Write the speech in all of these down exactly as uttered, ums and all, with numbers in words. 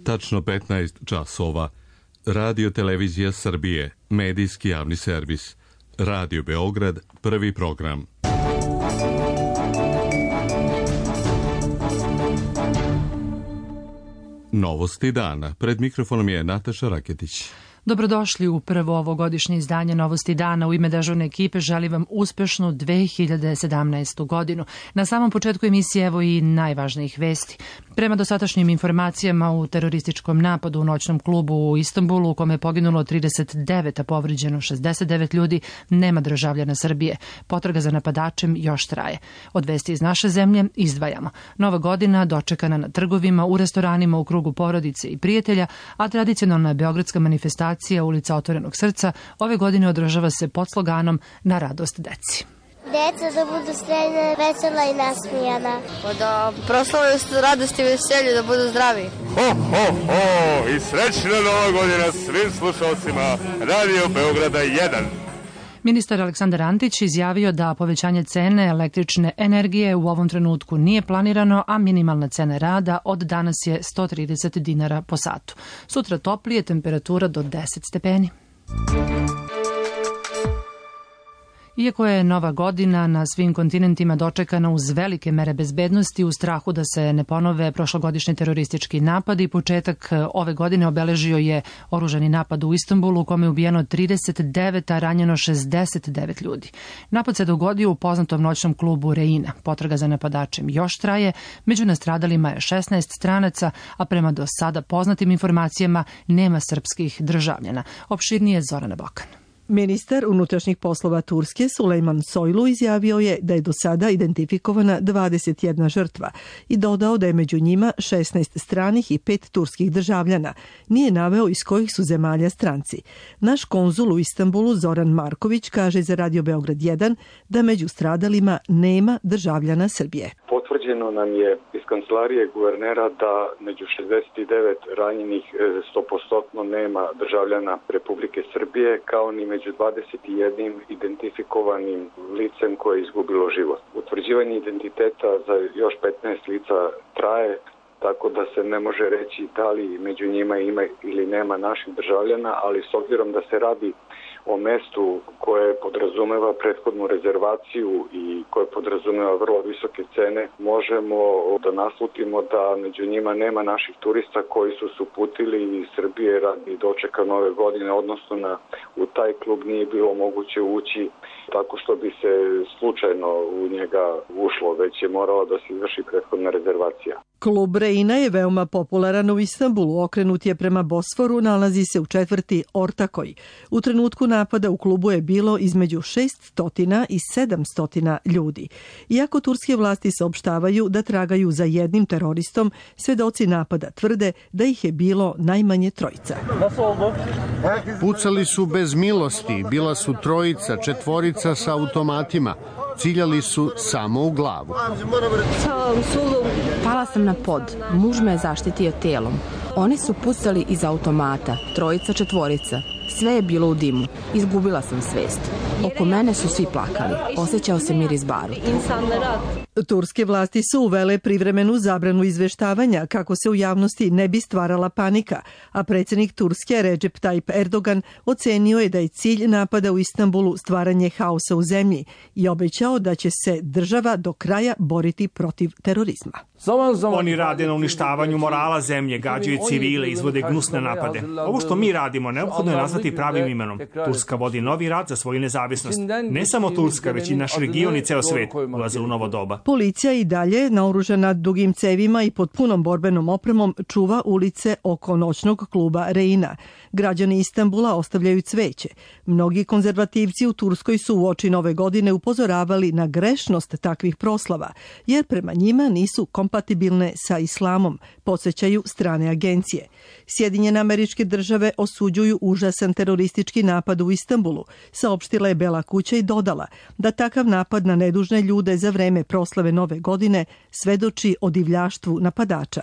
Tačno petnaest časova. Radio Televizija Srbije, medijski javni servis. Radio Beograd, prvi program. Novosti dana. Pred mikrofonom je Nataša Raketić. Dobrodošli u prvo ovogodišnje izdanje Novosti dana. U ime dežurne ekipe želim vam uspešnu dve hiljade sedamnaestu godinu. Na samom početku emisije evo i najvažnijih vesti. Prema dosadašnjim informacijama u terorističkom napadu u noćnom klubu u Istanbulu, u kome je poginulo trideset devet, a povređeno šezdeset devet ljudi, nema državljana Srbije. Potraga za napadačem još traje. Od vesti iz naše zemlje izdvajamo. Nova godina dočekana na trgovima, u restoranima, u krugu porodice i prijatelja, a tradicionalna beogradska manifestacija Ulica Otvorenog srca ove godine održava se pod sloganom Na radost deci. Deca da budu srećna, vesela i nasmijana. Pa da proslavaju radost i veselje, da budu zdravi. Ho, ho, ho! I srećna nova godina svim slušalcima Radio Beograda jedan. Ministar Aleksandar Antić izjavio da povećanje cene električne energije u ovom trenutku nije planirano, a minimalna cena rada od danas je sto trideset dinara po satu. Sutra toplije, temperatura do deset stepeni. Iako je nova godina na svim kontinentima dočekana uz velike mere bezbednosti, u strahu da se ne ponove prošlogodišnji teroristički napad, i početak ove godine obeležio je oružani napad u Istanbulu u kome je ubijeno trideset devet, a ranjeno šezdeset devet ljudi. Napad se dogodio u poznatom noćnom klubu Reina. Potraga za napadačem još traje, među nastradalima je šesnaest stranaca, a prema do sada poznatim informacijama nema srpskih državljana. Opširnije Zorana Bokan. Ministar unutrašnjih poslova Turske Sulejman Soylu izjavio je da je do sada identifikovana dvadeset jedna žrtva i dodao da je među njima šesnaest stranih i pet turskih državljana. Nije naveo iz kojih su zemalja stranci. Naš konzul u Istanbulu Zoran Marković kaže za Radio Beograd jedan da među stradalima nema državljana Srbije. Potvrđeno nam je iz kancelarije guvernera da među šezdeset devet ranjenih sto posto nema državljana Republike Srbije, kao ni među dvadeset jedan identifikovanim licem koje je izgubilo život. Utvrđivanje identiteta za još petnaest lica traje, tako da se ne može reći da li među njima ima ili nema naših državljana, ali s obzirom da se radi o mestu koje podrazumeva prethodnu rezervaciju i koje podrazumeva vrlo visoke cene, možemo da naslutimo da među njima nema naših turista koji su se uputili iz Srbije radi dočeka nove godine, odnosno na, u taj klub nije bilo moguće ući tako što bi se slučajno u njega ušlo, već je morala da se izvrši prethodna rezervacija. Klub Reina je veoma popularan u Istanbulu, okrenut je prema Bosforu, nalazi se u četvrti Ortakoj. U trenutku napada u klubu je bilo između šesto i sedamsto ljudi. Iako turske vlasti saopštavaju da tragaju za jednim teroristom, svedoci napada tvrde da ih je bilo najmanje trojica. Pucali su bez milosti, bila su trojica, četvorica sa automatima. Ciljali su samo u glavu. Pala sam na pod. Muž me je zaštitio telom. Oni su pucali iz automata. Trojica, četvorica. Sve je bilo u dimu. Izgubila sam svest. Oko mene su svi plakali. Osjećao se miris baruta. Turske vlasti su uvele privremenu zabranu izveštavanja kako se u javnosti ne bi stvarala panika, a predsjednik Turske Recep Tayyip Erdogan ocenio je da je cilj napada u Istanbulu stvaranje haosa u zemlji i obećao da će se država do kraja boriti protiv terorizma. Oni rade na uništavanju morala zemlje, gađaju civile, izvode gnusne napade. Ovo što mi radimo neophodno je nazvati pravim imenom. Turska vodi novi rat za svoju nezavisnost. Ne samo Turska, već i naš region i ceo svet ulaze u novo doba. Policija i dalje, naoružana dugim cevima i pod punom borbenom opremom, čuva ulice oko noćnog kluba Reina. Građani Istanbula ostavljaju cveće. Mnogi konzervativci u Turskoj su uoči nove godine upozoravali na grešnost takvih proslava, jer prema njima nisu kompatibilne sa islamom, podsjećaju strane agencije. Sjedinjene Američke Države osuđuju užasan teroristički napad u Istanbulu, saopštila je Bela kuća i dodala da takav napad na nedužne ljude za vreme proslave nove godine svedoči o divljaštvu napadača.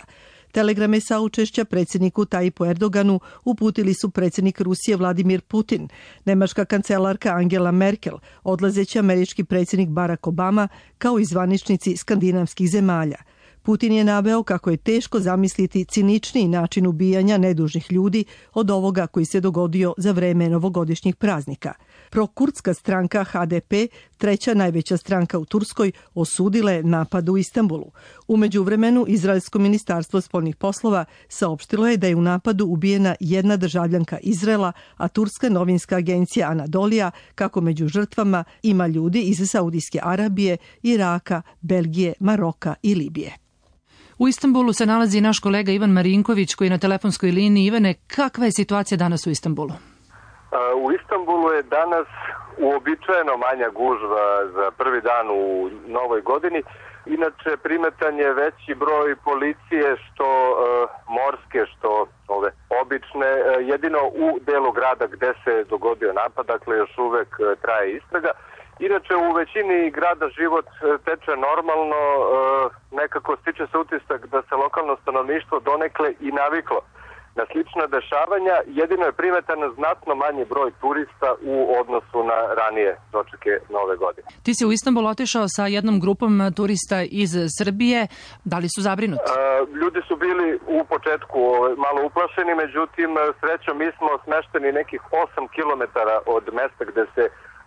Telegrame saučešća predsjedniku Tayyipu Erdoganu uputili su predsjednik Rusije Vladimir Putin, nemačka kancelarka Angela Merkel, odlazeći američki predsjednik Barack Obama, kao i zvaničnici skandinavskih zemalja. Putin je naveo kako je teško zamisliti ciničniji način ubijanja nedužnih ljudi od ovoga koji se dogodio za vreme novogodišnjih praznika. Prokurdska stranka H D P, treća najveća stranka u Turskoj, osudila je napad u Istanbulu. U međuvremenu, Izraelsko ministarstvo spoljnih poslova saopštilo je da je u napadu ubijena jedna državljanka Izraela, a turska novinska agencija Anadolija kako među žrtvama ima ljudi iz Saudijske Arabije, Iraka, Belgije, Maroka i Libije. U Istanbulu se nalazi naš kolega Ivan Marinković koji je na telefonskoj liniji. Ivane, kakva je situacija danas u Istanbulu? U Istanbulu je danas uobičajeno manja gužva za prvi dan u novoj godini. Inače, primetan je veći broj policije, što e, morske, što ove obične. E, jedino u delu grada gde se dogodio napad, dakle još uvek e, traje istraga. Inače, u većini grada život e, teče normalno. E, nekako stiče se utisak da se lokalno stanovništvo donekle i naviklo na slična dešavanja, jedino je primetan znatno manji broj turista u odnosu na ranije dočeke nove godine. Ti si u Istanbul otišao sa jednom grupom turista iz Srbije. Da li su zabrinuti? E, ljudi su bili u početku malo uplašeni, međutim, srećom mi smo smešteni nekih osam kilometara od mesta gde se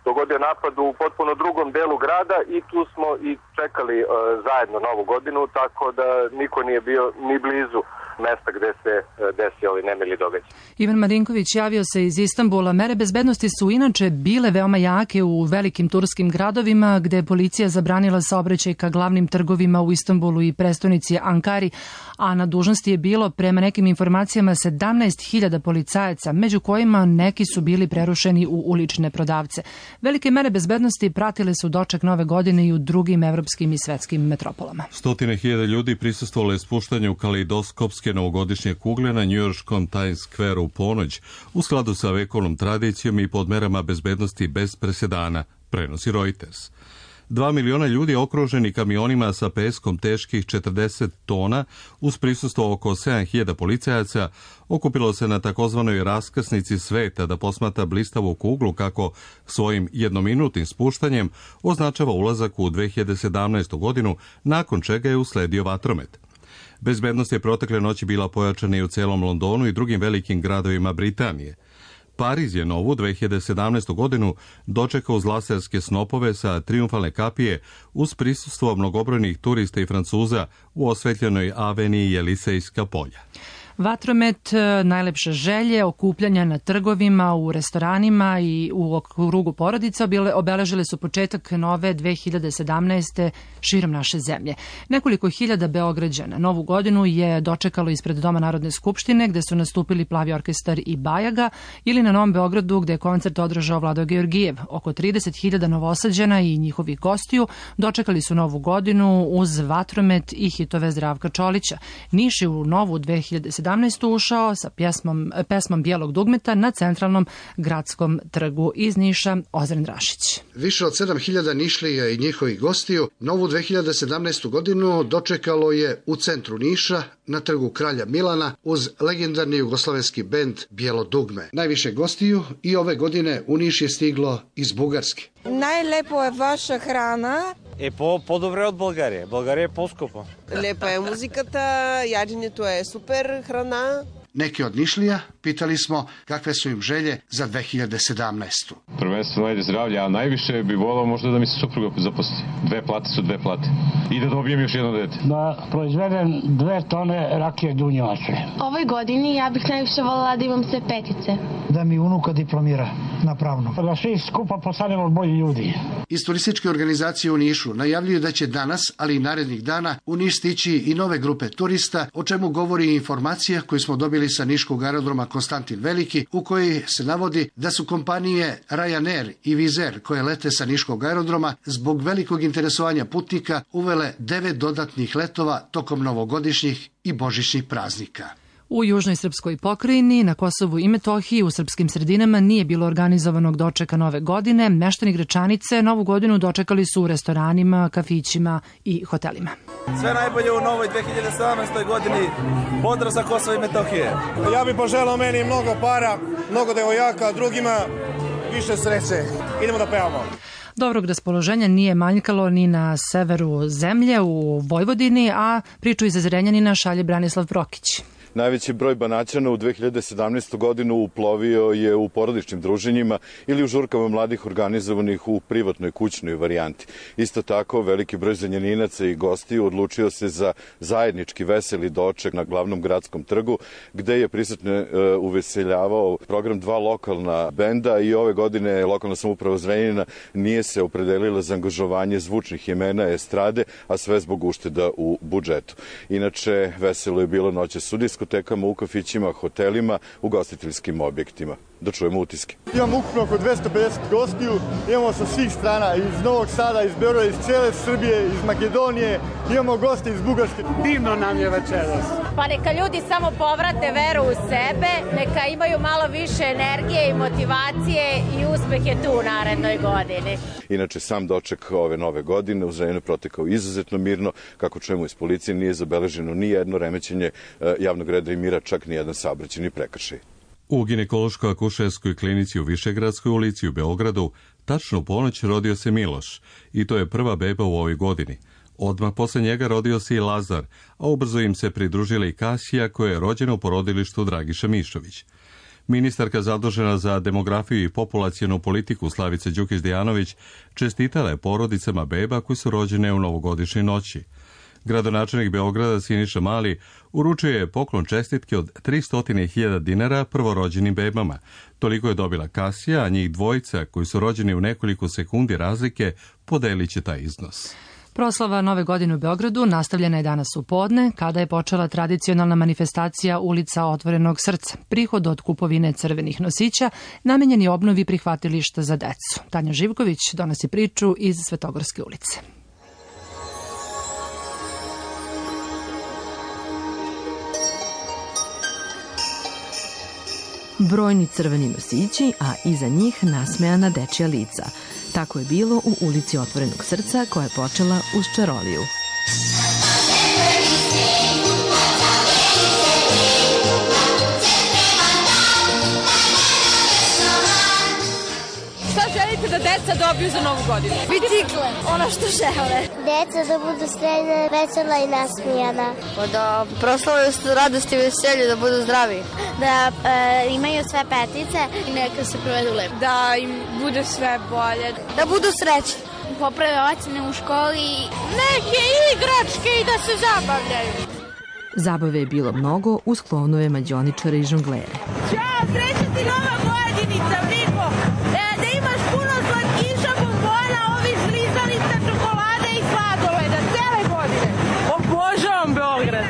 dogodio napad u potpuno drugom delu grada i tu smo i čekali e, zajedno novu godinu, tako da niko nije bio ni blizu mesta gde se desio ovaj nemili događaj. Ivan Marinković javio se iz Istanbula. Mere bezbednosti su inače bile veoma jake u velikim turskim gradovima gde je policija zabranila saobraćaj ka glavnim trgovima u Istanbulu i prestonici Ankari, a na dužnosti je bilo prema nekim informacijama sedamnaest hiljada policajaca, među kojima neki su bili prerušeni u ulične prodavce. Velike mere bezbednosti pratile su doček nove godine i u drugim evropskim i svetskim metropolama. Stotine hiljada ljudi prisustvovalo je spuštanju kaleidoskopske novogodišnje kugle na njujorškom Times Square u ponoć u skladu sa vekovnom tradicijom i pod merama bezbednosti bez presedana, prenosi Reuters. Dva miliona ljudi okruženi kamionima sa peskom teških četrdeset tona uz prisustvo oko sedam hiljada policajaca okupilo se na takozvanoj raskrsnici sveta da posmatra blistavu kuglu kako svojim jednominutnim spuštanjem označava ulazak u dve hiljade sedamnaestu godinu, nakon čega je usledio vatromet. Bezbednost je protekle noći bila pojačana i u celom Londonu i drugim velikim gradovima Britanije. Pariz je novu dve hiljade sedamnaestu godinu dočekao uz laserske snopove sa trijumfalne kapije uz prisustvo mnogobrojnih turista i Francuza u osvetljenoj aveniji Jelisejska polja. Vatromet, najlepše želje, okupljanja na trgovima, u restoranima i u krugu porodica obeležile su početak nove dve hiljade sedamnaeste. širom naše zemlje. Nekoliko hiljada Beograđana novu godinu je dočekalo ispred Doma Narodne skupštine gde su nastupili Plavi orkestar i Bajaga ili na Novom Beogradu gde je koncert održao Vlado Georgijev. Oko trideset hiljada Novosađana i njihovih gostiju dočekali su novu godinu uz vatromet i hitove Zdravka Čolića. Niš je u novu dve hiljade sedamnaestu. ušao sa pjesmom, pesmom Bijelog dugmeta na centralnom gradskom trgu. Iz Niša, Ozren Rašić. Više od sedam hiljada Nišlija i njihovih gostiju novu dve hiljade sedamnaestu. godinu dočekalo je u centru Niša na trgu Kralja Milana uz legendarni jugoslovenski bend Bijelo dugme. Najviše gostiju i ove godine u Niš je stiglo iz Bugarske. Najlepo je vaša hrana. Е по по-добре от България. България е по-скъпа. Лепа е музиката, яденето е супер храна. Neki od Nišlija pitali smo kakve su im želje za dve hiljade sedamnaestu. Prvenstveno ajde zdravlje, a najviše bi volao možda da mi se supruga zaposli. Dve plate su dve plate. I da dobijem još jedno dete. Da proizvedem dve tone rakije dunjevače. Ovoj godini ja bih najviše volala da imam sve petice. Da mi unuka diplomira na pravnom. Da svi skupa postanemo bolji ljudi. Iz turističke organizacije u Nišu najavljuju da će danas, ali i narednih dana, u Niš stići i nove grupe turista, o čemu govori informacija koju smo dobili sa niškog aerodroma Konstantin Veliki, u kojoj se navodi da su kompanije Ryanair i Wizz Air koje lete sa niškog aerodroma zbog velikog interesovanja putnika uvele devet dodatnih letova tokom novogodišnjih i božićnih praznika. U južnoj srpskoj pokrajini, na Kosovu i Metohiji, u srpskim sredinama nije bilo organizovanog dočeka nove godine. Meštani Gračanice novu godinu dočekali su u restoranima, kafićima i hotelima. Sve najbolje u novoj dve hiljade sedamnaestoj. godini. Pozdrav sa Kosova i Metohije. Ja bih poželao meni mnogo para, mnogo devojaka, drugima više sreće. Idemo da pevamo. Dobrog raspoloženja nije manjkalo ni na severu zemlje u Vojvodini, a priču iz Zrenjanina šalje Branislav Prokić. Najveći broj Banaćana u dve hiljade sedamnaestoj. godinu uplovio je u porodičnim druženjima ili u žurkama mladih organizovanih u privatnoj kućnoj varijanti. Isto tako, veliki broj Zrenjaninaca i gostiju odlučio se za zajednički veseli doček na glavnom gradskom trgu, gde je prisutne uveseljavao program dva lokalna benda i ove godine lokalna samouprava Zrenjanina nije se opredelila za angažovanje zvučnih imena estrade, a sve zbog ušteda u budžetu. Inače, veselo je bilo noćas u diskotekama, u kafićima, hotelima, u gostiteljskim objektima. Da čujemo utiske. Imamo ukupno oko dvesta pedeset gostiju, imamo sa svih strana, iz Novog Sada, iz Beograda, iz cele Srbije, iz Makedonije, imamo goste iz Bugarske. Divno nam je večeras. Pa neka ljudi samo povrate veru u sebe, neka imaju malo više energije i motivacije i uspeh je tu u narednoj godini. Inače, sam doček ove nove godine u Zrenjaninu protekao izuzetno mirno. Kako čujemo iz policije, nije zabeleženo ni jedno remećenje javnog reda i mira, čak ni jedan saobraćajni prekršaj. U ginekološko-akušerskoj klinici u Višegradskoj ulici u Beogradu tačno u ponoć rodio se Miloš i to je prva beba u ovoj godini. Odmah posle njega rodio se i Lazar, a ubrzo im se pridružila i Kasija koja je rođena u porodilištu Dragiša Mišović. Ministarka zadužena za demografiju i populacionu politiku Slavica Đukić-Dejanović čestitala je porodicama beba koji su rođene u novogodišnjoj noći. Gradonačelnik Beograda Siniša Mali uručio je poklon čestitke od tristo hiljada dinara prvorođenim bebama. Toliko je dobila Kasija, a njih dvojica koji su rođeni u nekoliko sekundi razlike podelit će taj iznos. Proslava Nove godine u Beogradu nastavljena je danas u podne, kada je počela tradicionalna manifestacija Ulica otvorenog srca. Prihod od kupovine crvenih nosića namenjen je obnovi prihvatilišta za decu. Tanja Živković donosi priču iz Svetogorske ulice. Brojni crveni nosići, a iza njih nasmejana dečja lica. Tako je bilo u Ulici otvorenog srca koja je počela uz čaroliju. Šta želite da deca dobiju za novu godinu? Bicikle, ono što žele. Deca da budu srećna, vesela i nasmijana. Pa da proslavaju radost i veselje, da budu zdravi. Da e, imaju sve petice i neka se provedu lepo. Da im bude sve bolje. Da budu srećni. Poprave ocene u školi. Neke igračke i da se zabavljaju. Zabave je bilo mnogo uz klonove mađioničare i žonglere. Ćao, sreća ti nova godinica, Viko! E, da imaš puno slatkiša, bombona, ovih žlizanica, čokolade i sladoleda, cele godine. Obožavam Beograd!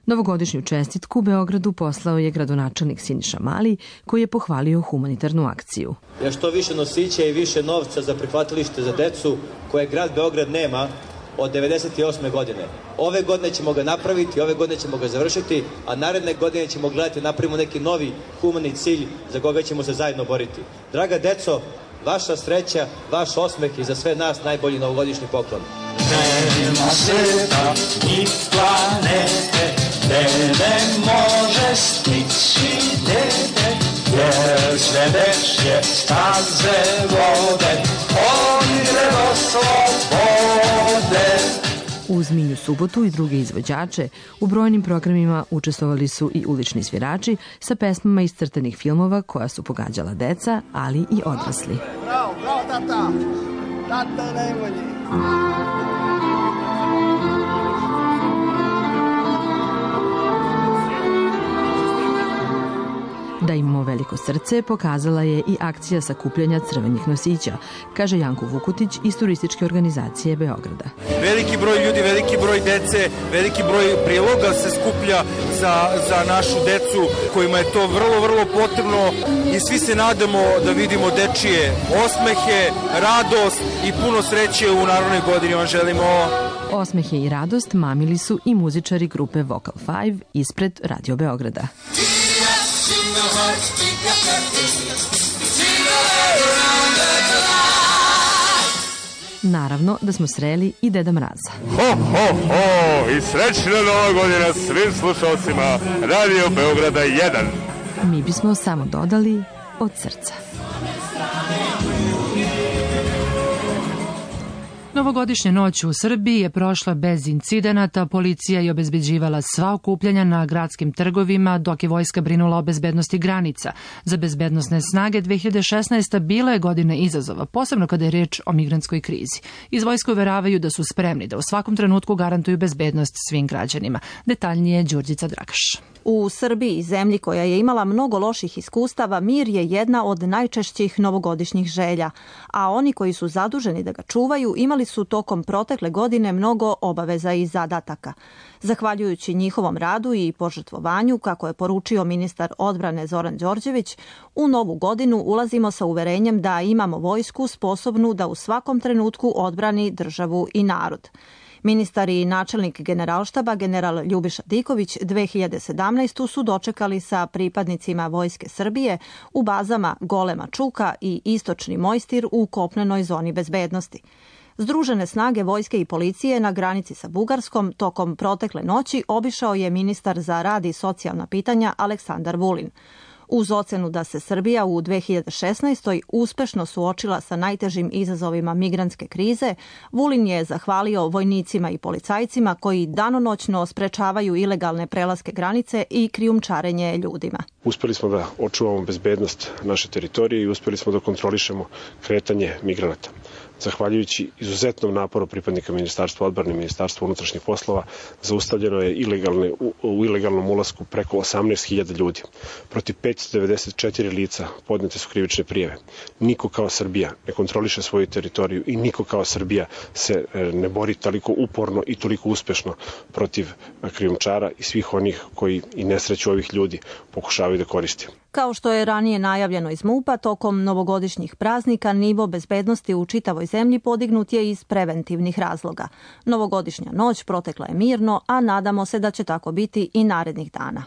Novogodišnju čestitku Beogradu poslao je gradonačelnik Siniša Mali, koji je pohvalio humanitarnu akciju. Ja što više nosića i više novca za prihvatilište za decu koje grad Beograd nema od devedeset osme. godine. Ove godine ćemo ga napraviti, ove godine ćemo ga završiti, a naredne godine ćemo gledati napravimo neki novi humani cilj za koga ćemo se zajedno boriti. Draga deco, vaša sreća, vaš osmeh i za sve nas najbolji novogodišnji poklon. Nema sveta ni planete, gde ne može stići dete, jer sve dečje staze vode, oni drevo slobode. Uz Minju Subotu i druge izvođače, u brojnim programima učestvovali su i ulični svirači sa pesmama iz crtanih filmova koja su pogađala deca, ali i odrasli. Bravo, bravo, tata! Tata je najbolji! Da imamo veliko srce pokazala je i akcija sakupljanja crvenih nosića, kaže Janko Vukutić iz turističke organizacije Beograda. Veliki broj ljudi, veliki broj dece, veliki broj priloga se skuplja za, za našu decu kojima je to vrlo, vrlo potrebno i svi se nadamo da vidimo dečije osmehe, radost i puno sreće u narodnoj godini. Vam želimo. Osmehe i radost mamili su i muzičari grupe Vocal Five ispred Radio Beograda. Naravno da smo sreli i Deda Mraza. Ho, ho, ho! I srećna nova godina svim slušalcima Radio Beograda jedan. Mi bismo samo dodali od srca. Novogodišnja noć u Srbiji je prošla bez incidenata, policija je obezbeđivala sva okupljanja na gradskim trgovima, dok je vojska brinula o bezbednosti granica. Za bezbednosne snage dve hiljade šesnaesta bila je godina izazova, posebno kada je reč o migrantskoj krizi. Iz vojske uveravaju da su spremni da u svakom trenutku garantuju bezbednost svim građanima. Detaljnije Đurđica Dragaš. U Srbiji, zemlji koja je imala mnogo loših iskustava, mir je jedna od najčešćih novogodišnjih želja, a oni koji su zaduženi da ga čuvaju imali su tokom protekle godine mnogo obaveza i zadataka. Zahvaljujući njihovom radu i požrtvovanju, kako je poručio ministar odbrane Zoran Đorđević, u novu godinu ulazimo sa uverenjem da imamo vojsku sposobnu da u svakom trenutku odbrani državu i narod. Ministar i načelnik Generalštaba, general Ljubiša Diković, dve hiljade sedamnaeste. su dočekali sa pripadnicima Vojske Srbije u bazama Golema Čuka i Istočni Mojstir u kopnenoj zoni bezbednosti. Združene snage vojske i policije na granici sa Bugarskom tokom protekle noći obišao je ministar za rad i socijalna pitanja Aleksandar Vulin. Uz ocenu da se Srbija u dve hiljade šesnaestoj. uspešno suočila sa najtežim izazovima migrantske krize, Vulin je zahvalio vojnicima i policajcima koji danonoćno sprečavaju ilegalne prelaske granice i krijumčarenje ljudima. Uspeli smo da očuvamo bezbednost naše teritorije i uspeli smo da kontrolišemo kretanje migranata. Zahvaljujući izuzetnom naporu pripadnika Ministarstva odbrane i Ministarstva unutrašnjih poslova, zaustavljeno je ilegalne, u, u ilegalnom ulasku preko osamnaest hiljada ljudi. Protiv petsto devedeset četiri lica podnete su krivične prijave. Niko kao Srbija ne kontroliše svoju teritoriju i niko kao Srbija se ne bori toliko uporno i toliko uspešno protiv krijumčara i svih onih koji i nesreću ovih ljudi pokušavaju da koriste. Kao što je ranije najavljeno iz MUP-a, tokom novogodišnjih praznika nivo bezbednosti u čitavoj zemlji podignut je iz preventivnih razloga. Novogodišnja noć protekla je mirno, a nadamo se da će tako biti i narednih dana.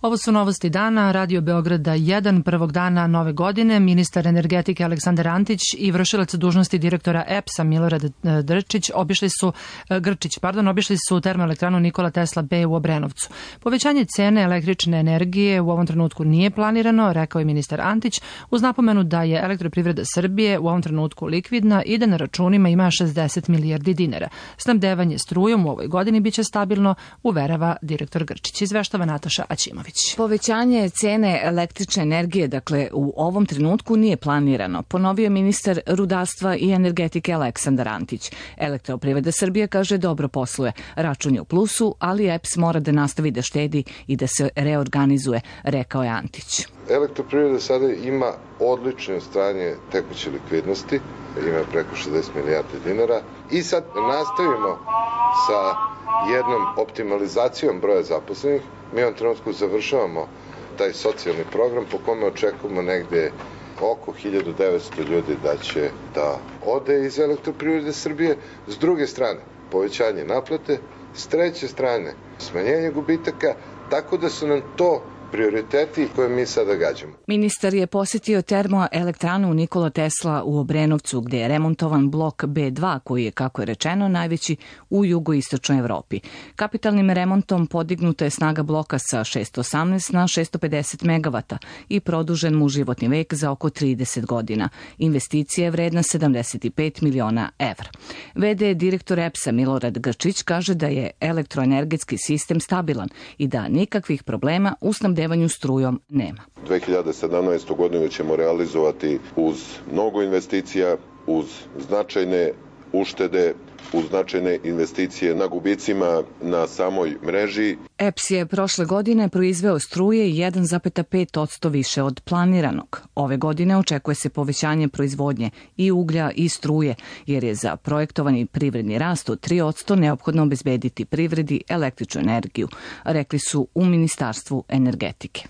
Ovo su novosti dana, Radio Beograda jedan, prvog dana nove godine. Ministar energetike Aleksandar Antić i vršilac dužnosti direktora E P S-a Milorad Drčić obišli su, Grčić pardon, obišli su termoelektranu Nikola Tesla B u Obrenovcu. Povećanje cene električne energije u ovom trenutku nije planirano, rekao je ministar Antić, uz napomenu da je Elektroprivreda Srbije u ovom trenutku likvidna i da na računima ima šezdeset milijardi dinara. Snabdevanje strujom u ovoj godini biće stabilno, uverava direktor Grčić. Izveštava Nataša Aćimović. Povećanje cene električne energije, dakle, u ovom trenutku nije planirano, ponovio ministar rudarstva i energetike Aleksandar Antić. Elektroprivreda Srbije kaže dobro posluje, račun je u plusu, ali E P S mora da nastavi da štedi i da se reorganizuje, rekao je Antić. Elektroprivreda sada ima odlično stanje tekuće likvidnosti, ima preko šezdeset milijardi dinara i sad nastavimo sa jednom optimalizacijom broja zaposlenih. Mi u ovom trenutku završavamo taj socijalni program po kome očekujemo negde oko hiljadu devetsto ljudi da će da ode iz Elektroprivrede Srbije. S druge strane, povećanje naplate, s treće strane, smanjenje gubitaka, tako da su nam to prioriteti koje mi sada gađamo. Ministar je posjetio termoelektranu Nikola Tesla u Obrenovcu, gde je remontovan blok B dva, koji je, kako je rečeno, najveći u jugoistočnoj Evropi. Kapitalnim remontom podignuta je snaga bloka sa šessto osamnaest na šessto pedeset megavata i produžen mu životni vek za oko trideset godina. Investicija je vredna sedamdeset pet miliona evra. V D direktor E P S-a Milorad Grčić kaže da je elektroenergetski sistem stabilan i da nikakvih problema u snabdevanju strujom nema. dve hiljade sedamnaestu. godinu ćemo realizovati uz mnogo investicija, uz značajne uštede, uz značajne investicije na gubicima na samoj mreži. E P S je prošle godine proizveo struje jedan zarez pet posto više od planiranog. Ove godine očekuje se povećanje proizvodnje i uglja i struje, jer je za projektovani privredni rast od tri posto neophodno obezbediti privredi električnu energiju, rekli su u Ministarstvu energetike.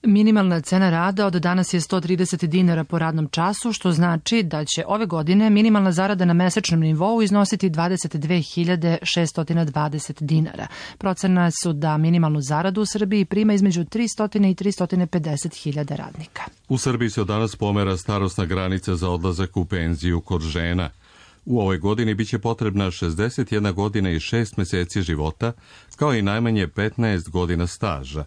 Minimalna cena rada od danas je sto trideset dinara po radnom času, što znači da će ove godine minimalna zarada na mesečnom nivou iznositi dvadeset dve hiljade šeststo dvadeset dinara. Procena su da minimalnu zaradu u Srbiji prima između tristo i tristo pedeset hiljada radnika. U Srbiji se od danas pomera starosna granica za odlazak u penziju kod žena. U ovoj godini biće potrebna šezdeset jedna godina i šest meseci života, kao i najmanje petnaest godina staža.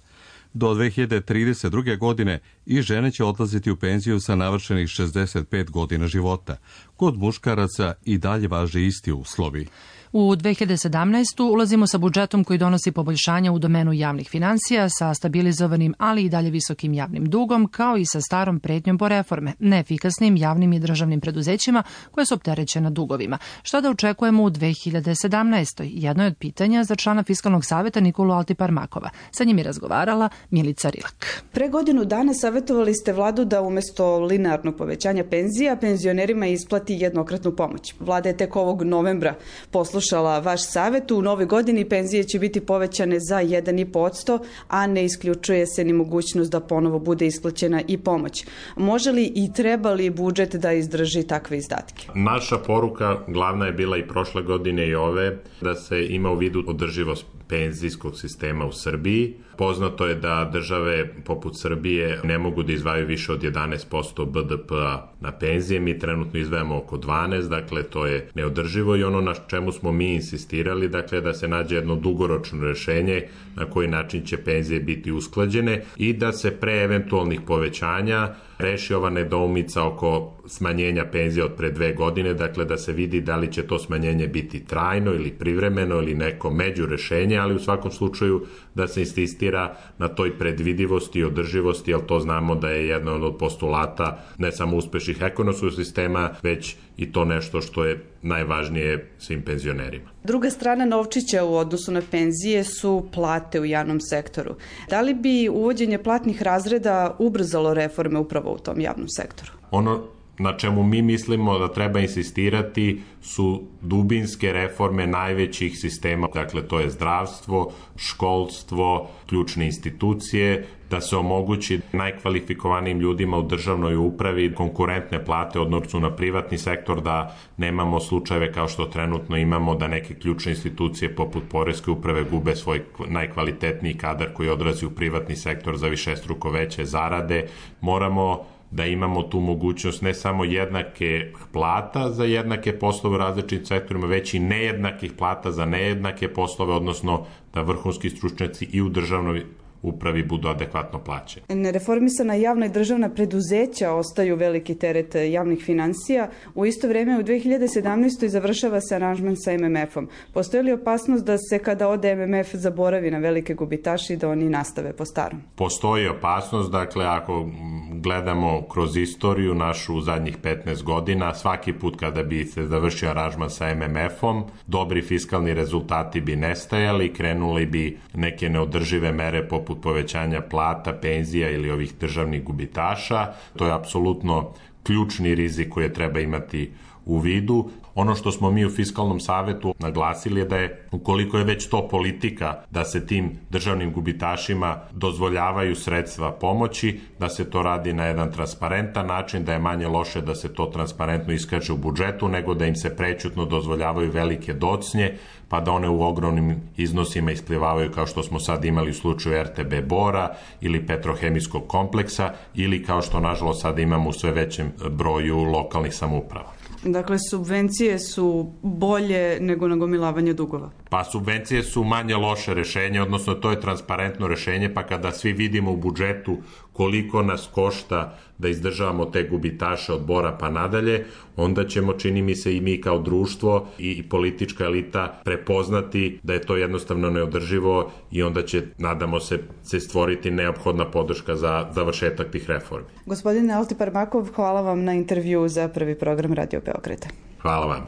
Do dve hiljade trideset druge. godine i žene će odlaziti u penziju sa navršenih šezdeset pet godina života. Kod muškaraca i dalje važe isti uslovi. U dve hiljade sedamnaestu. ulazimo sa budžetom koji donosi poboljšanja u domenu javnih finansija, sa stabilizovanim, ali i dalje visokim javnim dugom, kao i sa starom pretnjom po reforme, neefikasnim javnim i državnim preduzećima koje su opterećena dugovima. Šta da očekujemo u dve hiljade sedamnaestoj. Jedno je od pitanja za člana Fiskalnog saveta Nikolu Altiparmakova. Sa njim je razgovarala Milica Rilak. Pre godinu dana savjetovali ste vladu da umesto linearnog povećanja penzija penzionerima isplati jednokratnu pomoć. Vlada je tek ovog novembra poslušala vaš savjet. U novoj godini penzije će biti povećane za jedan zarez pet posto, a ne isključuje se ni mogućnost da ponovo bude isplaćena i pomoć. Može li i treba li budžet da izdrži takve izdatke? Naša poruka glavna je bila i prošle godine i ove, da se ima u vidu održivost penzijskog sistema u Srbiji. Poznato je da države poput Srbije ne mogu da izdvajaju više od jedanaest posto B D P-a na penzije. Mi trenutno izdvajamo oko dvanaest, dakle to je neodrživo i ono na čemu smo mi insistirali, dakle da se nađe jedno dugoročno rešenje na koji način će penzije biti usklađene i da se pre eventualnih povećanja reši ova nedoumica oko smanjenja penzija od pre dve godine, dakle da se vidi da li će to smanjenje biti trajno ili privremeno ili neko među rešenje, ali u svakom slučaju da se insistira na toj predvidivosti i održivosti, jer to znamo da je jedan od postulata ne samo uspešnih ekonomskog sistema, već i to nešto što je najvažnije svim penzionerima. Druga strana novčića u odnosu na penzije su plate u javnom sektoru. Da li bi uvođenje platnih razreda ubrzalo reforme upravo u tom javnom sektoru? Ono na čemu mi mislimo da treba insistirati su dubinske reforme najvećih sistema, dakle to je zdravstvo, školstvo, ključne institucije, da se omogući najkvalifikovanijim ljudima u državnoj upravi konkurentne plate odnosu na privatni sektor, da nemamo slučajeve kao što trenutno imamo da neke ključne institucije poput poreske uprave gube svoj najkvalitetniji kadar koji odrazi u privatni sektor za višestruko veće zarade. Moramo da imamo tu mogućnost ne samo jednake plata za jednake poslove u različitim sektorima, već i nejednakih plata za nejednake poslove, odnosno da vrhunski stručnjaci i u državnoj upravi budu adekvatno plaćeni. Nereformisana javna i državna preduzeća ostaju veliki teret javnih finansija. U isto vreme u dve hiljade sedamnaestoj. završava se aranžman sa M M F-om. Postoji li opasnost da se kada ode M M F zaboravi na velike gubitaše i da oni nastave po starom? Postoji opasnost, dakle ako gledamo kroz istoriju našu u zadnjih petnaest godina, svaki put kada bi se završio aranžman sa M M F-om, dobri fiskalni rezultati bi nestajali, krenuli bi neke neodržive mere poput povećanja plata, penzija ili ovih državnih gubitaša. To je apsolutno ključni rizik koji treba imati u vidu. Ono što smo mi u Fiskalnom savetu naglasili je da je, ukoliko je već to politika, da se tim državnim gubitašima dozvoljavaju sredstva pomoći, da se to radi na jedan transparentan način, da je manje loše da se to transparentno iskaže u budžetu, nego da im se prećutno dozvoljavaju velike docnje, pa da one u ogromnim iznosima isplivavaju kao što smo sad imali u slučaju R T B Bora ili Petrohemijskog kompleksa ili kao što nažalost sad imamo u sve većem broju lokalnih samouprava. Dakle, subvencije su bolje nego nagomilavanje dugova? Pa subvencije su manje loše rešenje, odnosno to je transparentno rešenje, pa kada svi vidimo u budžetu koliko nas košta da izdržavamo te gubitaše od Bora pa nadalje, onda ćemo, čini mi se, i mi kao društvo i politička elita prepoznati da je to jednostavno neodrživo i onda će, nadamo se, se stvoriti neophodna podrška za završetak tih reformi. Gospodine Altiparmakov, hvala vam na intervju za prvi program Radio Beograda. Hvala vam.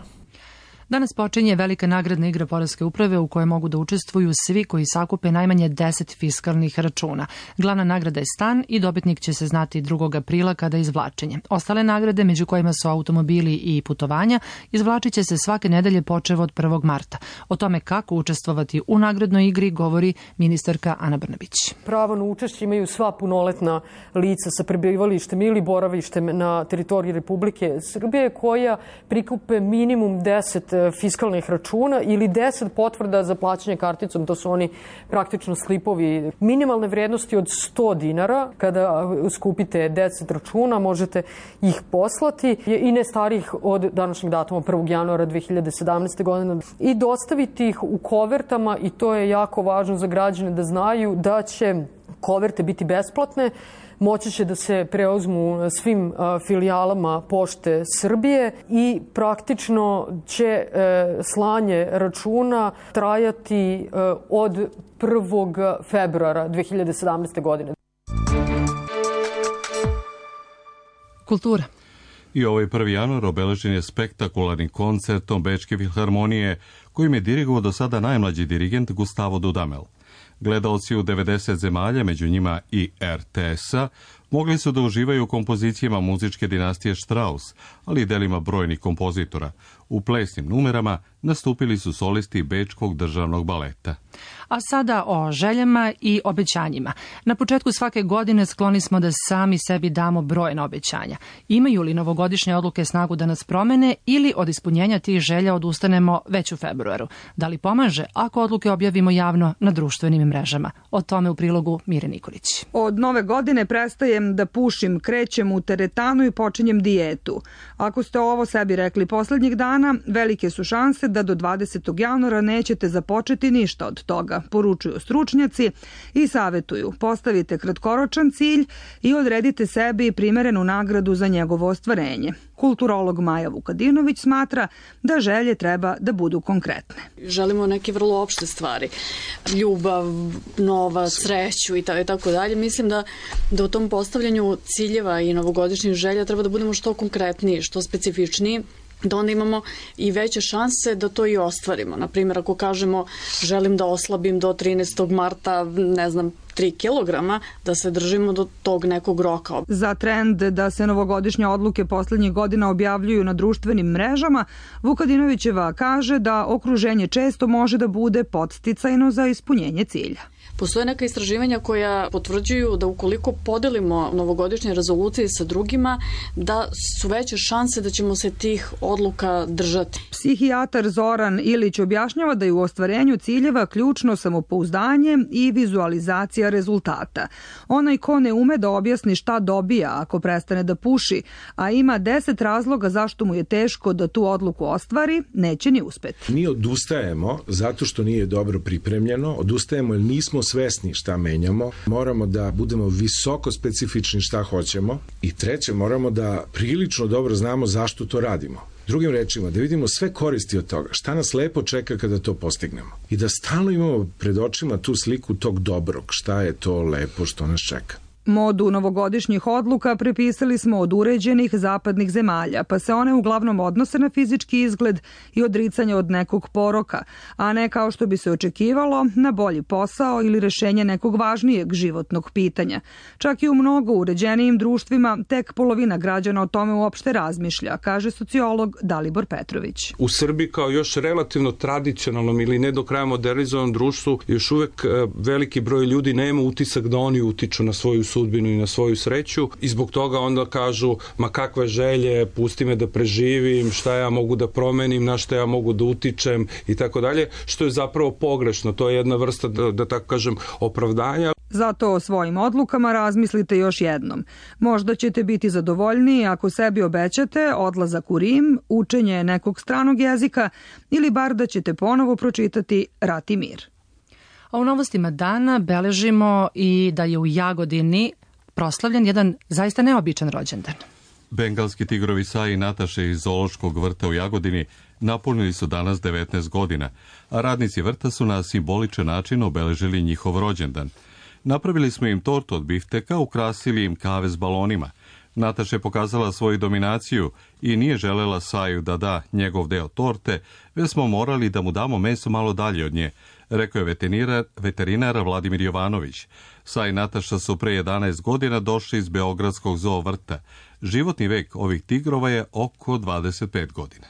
Danas počinje velika nagradna igra Poreske uprave u kojoj mogu da učestvuju svi koji sakupe najmanje deset fiskalnih računa. Glavna nagrada je stan i dobitnik će se znati drugog aprila kada je izvlačenje. Ostale nagrade, među kojima su automobili i putovanja, izvlačit će se svake nedelje počev od prvog marta. O tome kako učestvovati u nagradnoj igri govori ministarka Ana Brnabić. Pravo na učešće imaju sva punoletna lica sa prebivalištem ili boravištem na teritoriji Republike Srbije koja prikupe minimum deset fiskalnih računa ili deset potvrda za plaćanje karticom, to su oni praktično slipovi minimalne vrednosti od sto dinara. Kada skupite deset računa možete ih poslati i ne starih od današnjeg datuma prvog januara dve hiljade sedamnaeste. godine i dostaviti ih u kovertama, i to je jako važno za građane da znaju da će koverte biti besplatne. Moći će da se preuzmu na svim filijalama Pošte Srbije i praktično će slanje računa trajati od prvog februara dve hiljade sedamnaeste. godine. Kultura. I ovaj prvi januar obeležen je spektakularnim koncertom Bečke filharmonije, kojim je dirigovao do sada najmlađi dirigent Gustavo Dudamel. Gledaoci u devedeset zemalja, među njima i er te es-a, mogli su da uživaju u kompozicijama muzičke dinastije Strauss, ali i delima brojnih kompozitora. U plesnim numerama nastupili su solisti Bečkog državnog baleta. A sada o željama i obećanjima. Na početku svake godine skloni smo da sami sebi damo brojna obećanja. Imaju li novogodišnje odluke snagu da nas promene ili od ispunjenja tih želja odustanemo već u februaru? Da li pomaže ako odluke objavimo javno na društvenim mrežama? O tome u prilogu Mire Nikolić. Od nove godine prestajem da pušim, krećem u teretanu i počinjem dijetu. Ako ste ovo sebi rekli poslednjih dana, velike su šanse da do dvadesetog januara nećete započeti ništa od toga, poručuju stručnjaci i savetuju. Postavite kratkoročan cilj i odredite sebi primerenu nagradu za njegovo ostvarenje. Kulturolog Maja Vukadinović smatra da želje treba da budu konkretne. Želimo neke vrlo opšte stvari. Ljubav, novac, sreću i tako dalje. Mislim da, da u tom postavljanju ciljeva i novogodišnjih želja treba da budemo što konkretniji, što specifičniji, da onda imamo i veće šanse da to i ostvarimo. Naprimjer, ako kažemo želim da oslabim do trinaestog marta, ne znam, tri kilograma, da se držimo do tog nekog roka. Za trend da se novogodišnje odluke poslednjih godina objavljuju na društvenim mrežama, Vukadinovićeva kaže da okruženje često može da bude podsticajno za ispunjenje cilja. Postoje neka istraživanja koja potvrđuju da ukoliko podelimo novogodišnje rezolucije sa drugima, da su veće šanse da ćemo se tih odluka držati. Psihijatar Zoran Ilić objašnjava da je u ostvarenju ciljeva ključno samopouzdanje i vizualizacija rezultata. Onaj ko ne ume da objasni šta dobija ako prestane da puši, a ima deset razloga zašto mu je teško da tu odluku ostvari, neće ni uspeti. Mi odustajemo zato što nije dobro pripremljeno, odustajemo jer nismo svesni šta menjamo, moramo da budemo visoko specifični šta hoćemo i treće, moramo da prilično dobro znamo zašto to radimo. Drugim rečima, da vidimo sve koristi od toga, šta nas lepo čeka kada to postignemo i da stalno imamo pred očima tu sliku tog dobrog, šta je to lepo što nas čeka. Modu novogodišnjih odluka prepisali smo od uređenih zapadnih zemalja, pa se one uglavnom odnose na fizički izgled i odricanje od nekog poroka, a ne kao što bi se očekivalo na bolji posao ili rešenje nekog važnijeg životnog pitanja. Čak i u mnogo uređenijim društvima tek polovina građana o tome uopšte razmišlja, kaže sociolog Dalibor Petrović. U Srbiji kao još relativno tradicionalnom ili ne do kraja modernizovanom društvu još uvek veliki broj ljudi nema utisak da oni utiču na svoju sudbinu i na svoju sreću i zbog toga onda kažu ma kakve želje, pusti me da preživim, šta ja mogu da promenim, na šta ja mogu da utičem i tako dalje, što je zapravo pogrešno. To je jedna vrsta, da, da tako kažem, opravdanja. Zato o svojim odlukama razmislite još jednom. Možda ćete biti zadovoljniji ako sebi obećate odlazak u Rim, učenje nekog stranog jezika ili bar da ćete ponovo pročitati Rat i mir. A u novostima dana beležimo i da je u Jagodini proslavljen jedan zaista neobičan rođendan. Bengalski tigrovi Saji i Nataše iz Zoološkog vrta u Jagodini napunili su danas devetnaest godina, a radnici vrta su na simboličan način obeležili njihov rođendan. Napravili smo im tortu od bifteka, ukrasili im kave s balonima. Nataša je pokazala svoju dominaciju i nije želela Saju da da njegov deo torte, već smo morali da mu damo meso malo dalje od nje, rekao je veterinar, veterinar Vladimir Jovanović. Saj i Nataša su pre jedanaest godina došli iz Beogradskog zoo vrta. Životni vek ovih tigrova je oko dvadeset pet godina.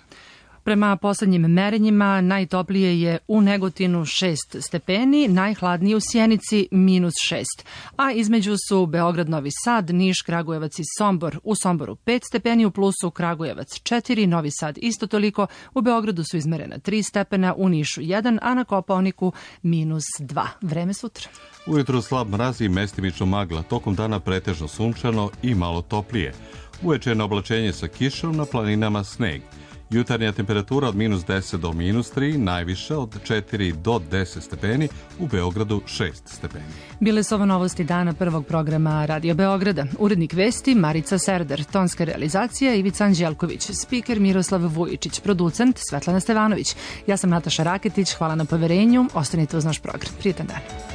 Prema poslednjim merenjima najtoplije je u Negotinu šest stepeni, najhladnije u Sjenici minus šest, a između su Beograd, Novi Sad, Niš, Kragujevac i Sombor. U Somboru pet stepeni, u plusu Kragujevac četiri, Novi Sad isto toliko, u Beogradu su izmerena tri stepena, u Nišu jedan, a na Kopaoniku minus dva. Vreme sutra. Ujutro slab mraz i mestimično magla, tokom dana pretežno sunčano i malo toplije. Uveče na oblačenje sa kišom, na planinama sneg. Jutarnja temperatura od minus deset do minus tri, najviša od četiri do deset stepeni, u Beogradu šest stepeni. Bile su ovo novosti dana prvog programa Radio Beograda. Urednik vesti Marica Serder, tonska realizacija Ivica Anđelković, spiker Miroslav Vujičić, producent Svetlana Stevanović. Ja sam Nataša Raketić, hvala na poverenju, ostanite uz naš program. Prijetan dan.